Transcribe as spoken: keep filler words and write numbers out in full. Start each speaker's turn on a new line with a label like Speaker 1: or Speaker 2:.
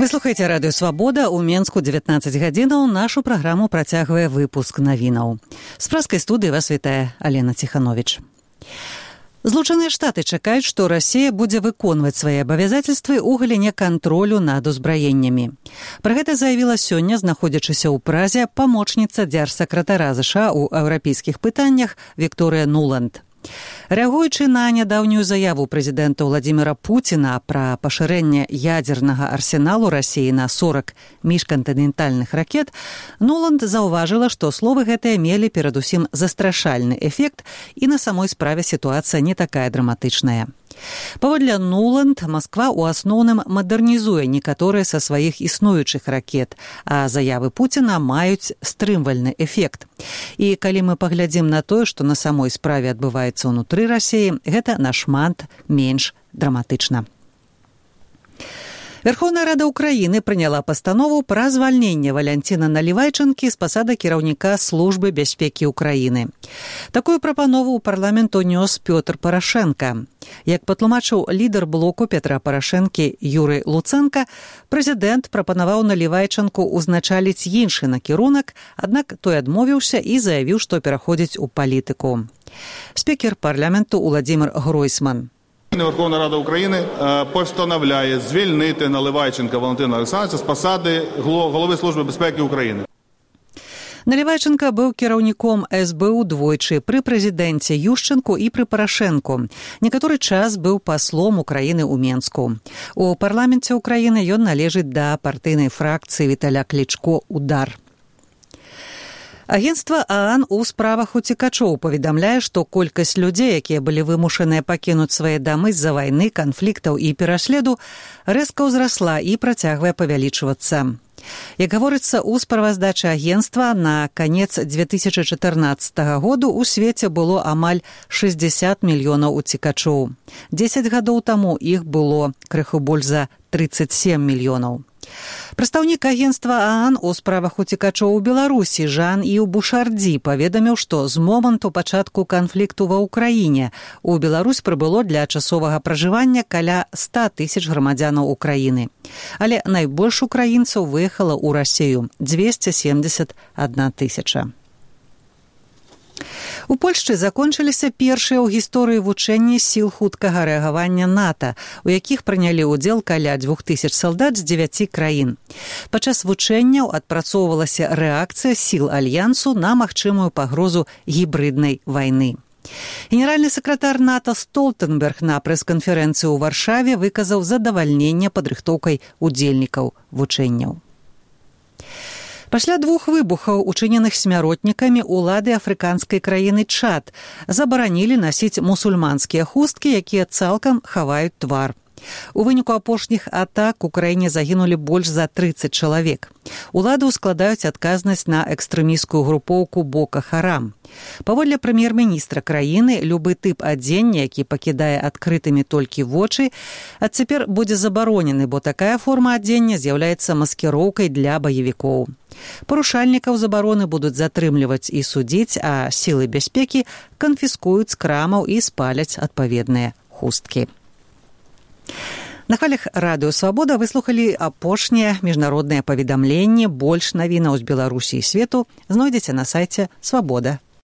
Speaker 1: Вы слухаеце радыё «Свабода». У Менску дзевятнаццаць гадзінаў. Нашу праграму працягвае выпуск навінаў. З праскай студыі вас вітае Алена Ціхановіч. Злучаныя Штаты чакаюць, што Расія будзе выконваць свае абавязацельствы ў галіне кантролю над узбраеннямі. Пра гэта заявіла сёння, знаходзячыся ў Празе, памочніца дзяржсакратара ЗША ў еўрапейскіх пытаннях Вікторыя Нуланд. Рэагуючы на нядаўнюю заяву прэзідэнта Владзіміра Пуціна пра пашырэнне ядзернага арсеналу Расіі на сорак міжкантынентальных ракет, Нуланд заўважыла, што словы гэтыя мелі перадусім застрашальны эфект, і на самой справе сітуацыя не такая драматычная. Паводле Нуланд, Масква ў асноўным мадэрнізуе некаторыя са сваіх існуючых ракет, а заявы Пуціна маюць стрымвальны эфект. І калі мы паглядзім на тое, што на самой справе адбываецца ўнутры Расіі, гэта нашмат менш драматычна. Верховная Рада Украіны прыняла пастанову пра звальненне Валянціна Налівайчанкі з пасады кіраўніка Службы бяспекі Украіны. Такую прапанову ў парламент унёс Пётр Парашенка. Як патлумачыў лідар блоку Петра Парашэнкі Юрый Луцэнка, прэзідэнт прапанаваў Налівайчанку ўзначаліць іншы накірунак, аднак той адмовіўся і заявіў, што пераходзіць у палітыку. Спікер парламенту Уладзімір Гройсман.
Speaker 2: Верховна Рада України постановляє звільнити Наливайченка Валентина Олександровича з посади голови Служби безпеки України.
Speaker 1: Налівайченка быў кіраўніком эс бэ у двойчы пры прэзідэнце Ющэнку і пры Парашэнку. Некаторы час быў паслом Украіны ў Менску. У парламенце Украіны ён належыць да партыйнай фракцыі Віталя Клічко «Удар». Агенцтва ААН у справах уцекачоў паведамляе, што колькасць людзей, якія былі вымушаныя пакінуць свае дамы з-за вайны, канфліктаў і пераследу, рэзка ўзрасла і працягвае павялічвацца. Як гаворыцца ў справаздачы агенцтва, на канец дзве тысячы чатырнаццатага году ў свеце было амаль шэсцьдзесят мільёнаў уцекачоў. дзесяць гадоў таму іх было крыху больш за трыццаць сем мільёнаў. Прадстаўнік агенцтва ААН у справах уцекачоў у Беларусі Жан Іў Бушардзі паведаміў, што з моманту пачатку канфлікту ва ўкраіне у Беларусь прыбыло для часовага пражывання каля ста тысяч грамадзянаў Украіны. Але найбольш украінцаў выехала ў Расію – дзвесце семдзесят адна тысяча. У Польшчы закончыліся першыя ў гісторыі вучэнні сіл хуткага рэагавання НАТО, у якіх прынялі ўдзел каля дзвюх тысяч салдат з дзевяці краін. Падчас вучэнняў адпрацоўвалася рэакцыя сіл альянсу на магчымую пагрозу гібрыднай вайны. Генеральны сакратар НАТО Столтенберг на прэс-канферэнцыі ў Варшаве выказаў задавальненне падрыхтоўкай удзельнікаў вучэнняў. Пасля двух выбухаў, учыненых смяротнікамі, улады афрыканскай краіны Чад забаранілі насіць мусульманскія хусткі, якія цалкам хаваюць твар. У выніку апошніх атак у краіне загінулі больш за трыццаць чалавек. Улады ўскладаюць адказнасць на экстрэмісцкую групоўку Бока Харам. Паводле прэм'ер-міністра краіны, любы тып адзення, які пакідае адкрытымі толькі вочы, адцяпер будзе забаронены, бо такая форма адзення з'яўляецца маскіроўкай для баевікоў. Парушальнікаў забароны будуць затрымліваць і судзіць, а сілы бяспекі канфіскуюць з крамаў і спаляць адпаведныя хусткі. На хвалях радыё «Свабода» выслухалі апошнія міжнародныя паведамленні. Больш навінаў з Беларусі і свету знойдзеце на сайце свабода